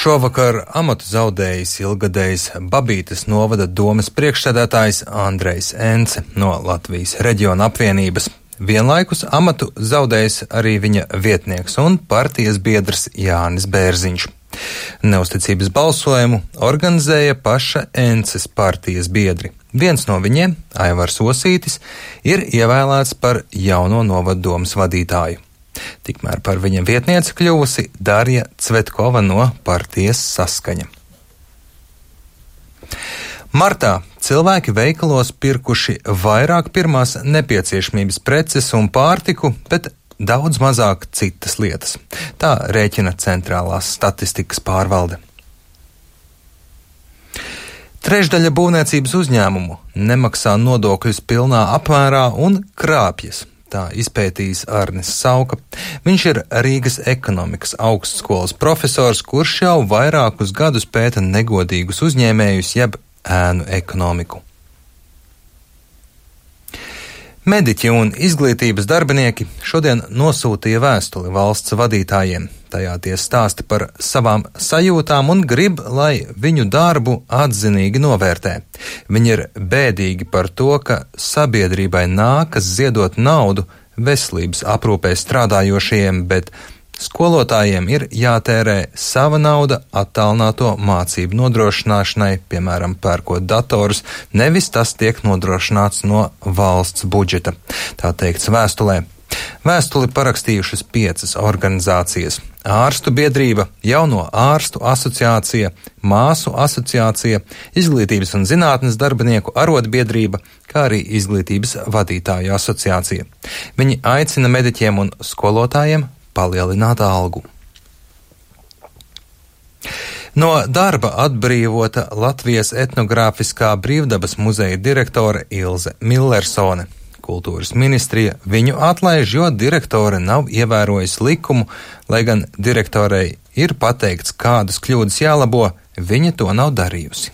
Šovakar amatu zaudējis ilgadējs Babītes novada domes priekšsēdētājs Andrejs Ence no Latvijas reģiona apvienības. Vienlaikus amatu zaudējis arī viņa vietnieks un partijas biedrs Jānis Bērziņš. Neusticības balsojumu organizēja paša Ences partijas biedri. Viens no viņiem, Aivars Osītis, ir ievēlēts par jauno novada domes vadītāju. Tikmēr par viņa vietnieci kļuvusi Darja Cvetkova no partijas Saskaņa. Martā cilvēki veikalos pirkuši vairāk pirmās nepieciešamības preces un pārtiku, bet daudz mazāk citas lietas. Tā rēķina Centrālās statistikas pārvalde. Trešdaļa būvniecības uzņēmumu nemaksā nodokļus pilnā apmērā un krāpjas. Tā izpētījis Arnis Sauka. Viņš ir Rīgas ekonomikas augstskolas profesors, kurš jau vairākus gadus pēta negodīgus uzņēmējus jeb ēnu ekonomiku. Mediķi un izglītības darbinieki šodien nosūtīja vēstuli valsts vadītājiem. Tajā tie stāsta par savām sajūtām un grib, lai viņu darbu atzinīgi novērtē. Viņi ir bēdīgi par to, ka sabiedrībai nākas ziedot naudu veselības aprūpē strādājošajiem, bet skolotājiem ir jātērē sava nauda attālināto mācību nodrošināšanai, piemēram, pērkot datorus, nevis tas tiek nodrošināts no valsts budžeta. Tā teikts vēstulē. Vēstuli parakstījušas 5 organizācijas – Ārstu biedrība, Jauno ārstu asociācija, Māsu asociācija, Izglītības un zinātnes darbinieku arotbiedrība, kā arī Izglītības vadītāju asociācija. Viņi aicina mediķiem un skolotājiem palielināt algu. No darba atbrīvota Latvijas etnogrāfiskā brīvdabas muzeja direktore Ilze Millersone. Kultūras ministrija viņu atlaiž, jo direktore nav ievērojusi likumu, lai gan direktorei ir pateikts, kādas kļūdas jālabo, viņa to nav darījusi.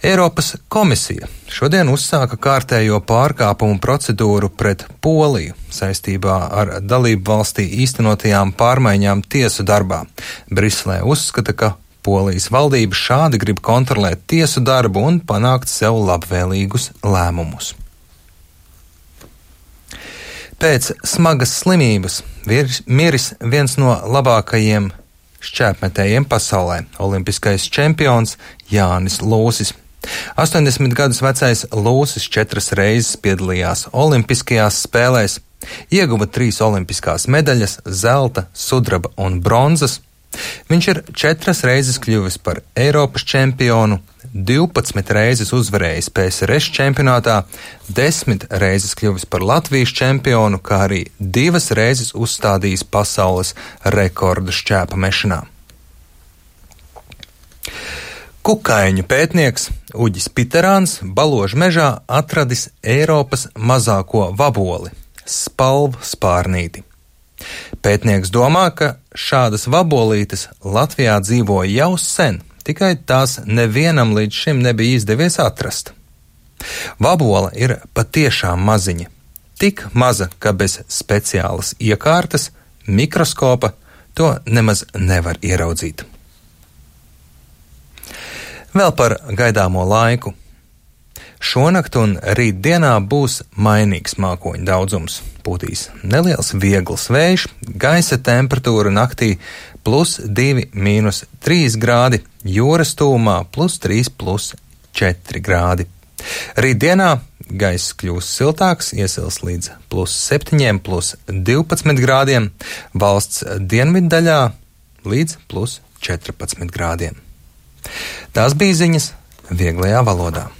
Eiropas komisija šodien uzsāka kārtējo pārkāpumu procedūru pret Poliju saistībā ar dalību valstī īstenotajām pārmaiņām tiesu darbā. Briselē uzskata, ka Polijas valdība šādi grib kontrolēt tiesu darbu un panākt sev labvēlīgus lēmumus. Pēc smagas slimības miris viens no labākajiem šķēpmetējiem pasaulē – olimpiskais čempions Jānis Lūsis. 80 gadus vecais Lūsis 4 reizes piedalījās olimpiskajās spēlēs, ieguva 3 olimpiskās medaļas – zelta, sudraba un bronzas. Viņš ir 4 reizes kļuvis par Eiropas čempionu, 12 reizes uzvarējis PSRS čempionātā, 10 reizes kļuvis par Latvijas čempionu, kā arī 2 reizes uzstādījis pasaules rekordu šķēpa mešanā. Kukaiņu pētnieks Uģis Piterāns Baložu mežā atradis Eiropas mazāko vaboli – spalvu spārnīti. Pētnieks domā, ka šādas vabolītes Latvijā dzīvo jau sen, tikai tās nevienam līdz šim nebija izdevies atrast. Vabola ir patiešām maziņa, tik maza, ka bez speciālas iekārtas, mikroskopa to nemaz nevar ieraudzīt. Vēl par gaidāmo laiku. Šonakt un rītdienā būs mainīgs mākoņu daudzums. Pūtīs neliels viegls vējš, gaisa temperatūra naktī +2, -3 grādi, jūras tūmā +3, +4 grādi. Rītdienā gaiss kļūs siltāks, iesils līdz +7, +12 grādiem, valsts dienviddaļā līdz +14 grādiem. Tās bija ziņas vieglajā valodā.